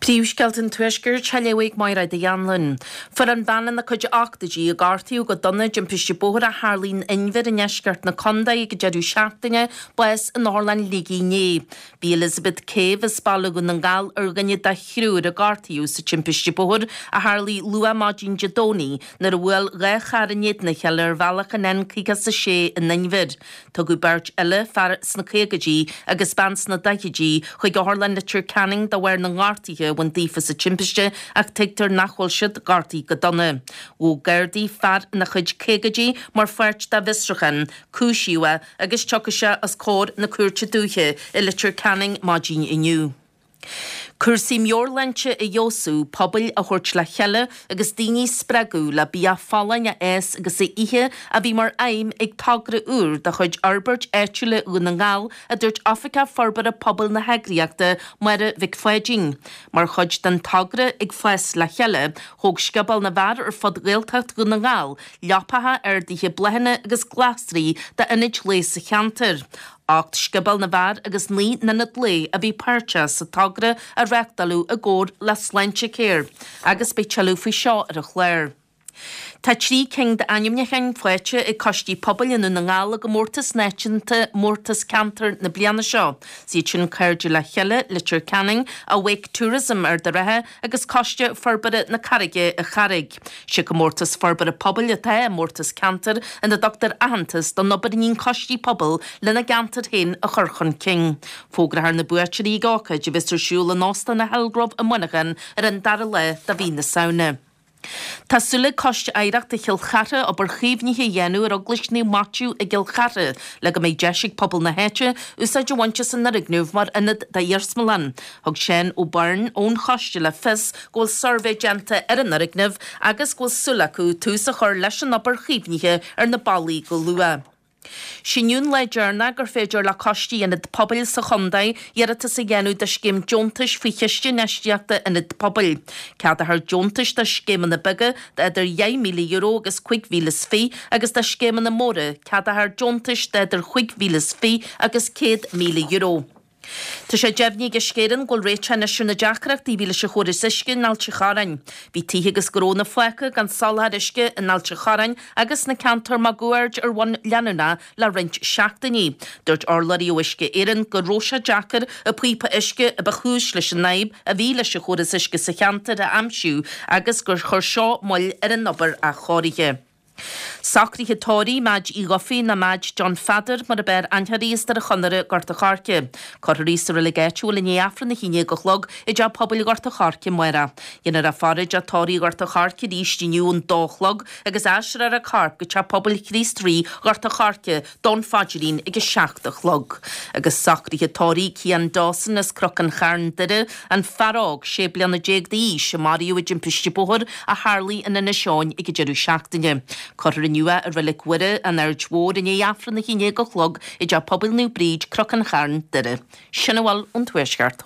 Príomhscéalta an Tuaiscirt á léamh ag Mairéad Uí Anluain. Fuair an bhean ina cuid ochtóidí a gortaíodh go dona i dtimpiste bóthair a tharlaigh in Inbhir i ndeisceart na contae ag an deireadh seachtaine, bás in Otharlann Shligigh inné. Bhí Elizabeth Cave as Baile Dhún na nGall ar dhuine de thriúr a gortaíodh sa timpiste bóthair a tharlaigh luath maidin Dé Domhnaigh nuair a bhuail 2 charr in éadan a chéile ar bhealach an N56 in Inbhir. Tugadh beirt eile, fear sna caogaidí agus bean sna daichidí, chuig Otharlann Leitir Ceanainn de bharr na ngortuithe a bhain daofa sa timpiste ach tuigtear nach bhfuil siad gortaithe go dona. Ghabh Gardaí fear ina chuid caogaidí mar pháirt dá bhfiosrúchán, cúisíodh é agus tiocfaidh sé os comhair na Cúirte Dúiche i Leitir Ceanainn maidin inniu. Cúrsaí meabhairshláinte a fheabhsú, pobail a thabhairt le chéile agus daoine a spreagadh le bia folláin a fhás agus a ithe a bhí mar aidhm ag togra úr de chuid Fhorbairt Áitiúla Dhún na nGall, a dúirt Oifigeach Forbartha Pobail na heagraíochta, Máire Mhic Pháidín. Mar chuid den togra Ag Fás le Chéile, thóg Scioból na bhFear ar fud Ghaeltacht Dhún na nGall leapacha, arduithe bláthanna agus glasraí d'ionaid lae sa cheantar. 8 Scioból na bhFear agus 9 n-ionad lae a bhí páirteach sa togra a reáchtáladh i gcomhar le Sláintecare agus beidh tuilleadh faoi seo ar an chlár. Tá 3 cinn d'ainmniúcháin faighte ag coistí pobail i nDún na nGall i gcomórtas náisiúnta Mórtas Ceantair na bliana seo. Is iad sin Cairde le Chéile, Leitir Ceanainn, Awake Tourism, Ard an Rátha agus Coiste Forbartha na Carraige, an Charraig. Sé comórtas forbartha pobail atá i Mórtas Ceantair ina dtugtar aitheantas don obair a níonn coistí pobail lena gceantar féin a chur chun cinn. Fógrófar na buaiteoirí ag ócáid a bheas ar siúl in Óstán an Hillgrove i Muineachán ar an dara lá de mhí na Samhna. Tá súil ag Coiste Oidhreachta Chill Chartha obair chaomhnaithe a dhéanamh ar Eaglais Naomh Maitiú i gCill Chartha le go mbeidh deis ag pobal na háite úsáid a bhaint as an fhoirgneamh mar ionad d'iarsmalann. Thug Seán Ó Beirn ón choiste le fios go bhfuil suirbhé déanta ar an fhoirgneamh agus go bhfuil súil acu tús a chur leis an obair chaomhnaithe ar na ballaí go luath. Sé inniu an lá deireanach gur féidir le coistí ionad pobail sa chontae iarratas a dhéanamh do scéim deontais faoi Chiste Infheistíochta Ionad Pobail. Ceadófar deontais do scéimeanna beaga d'idir €10,000 agus 25,000 agus do scéimeanna móra ceadófar deontais d'idir 25,000 agus €100,000. Tá sé deimhnithe ag Uisce Éireann go bhfuil réiteach anois ar na deacrachtaí a bhí leis an chóras uisce in Ailt an Chorráin. Bhí tithe agus gnónna fágtha gan soláthar uisce in Ailt an Chorráin agus sna ceantair máguaird ar bhonn leanúnach le roinnt seachtainí. Dúirt urlabhraí ó Uisce Éireann go raibh sé deacair an píopa uisce a ba chúis leis an fhadhb a bhí leis an chóras uisce sa cheantar a aimsiú agus gur chuir seo moill ar an obair athchóirithe. Socruithe tórraimh Madge Uí Dhufaigh nó Madge John Pheadair mar ab fhearr aithne uirthi as Doire Chonaire, Gort a' Choirce. Cuirfear í sa reilig áitiúil i ndiaidh Aifreann 11 a chlog i dTeach Pobail Ghort a' Choirce amárach. Déanfar í faire i dTeach Tórraimh Ghort a' Choirce arís inniu ón dó a chlog agus aistreofar a corp go Teach Pobail Chríost Rí Ghort a' Choirce don phaidrín ag 7 a chlog. Agus socruithe tórraimh Cian Dawson as Cnoc an Chairn, Doire, an fear óg 16 bliana d'aois a maraíodh i dtimpiste bóthair a tharlaigh in Inis Eoghain ag an deireadh seachtaine. Cuirfear inniu é i Reilig Mhuire, an Aird Mhóir, i ndiaidh Aifreann 11 a chlog i dTeach Pobail Naomh Bríd, Cnoc an Chairn, Doire. Sin a bhfuil ón Tuaisceart.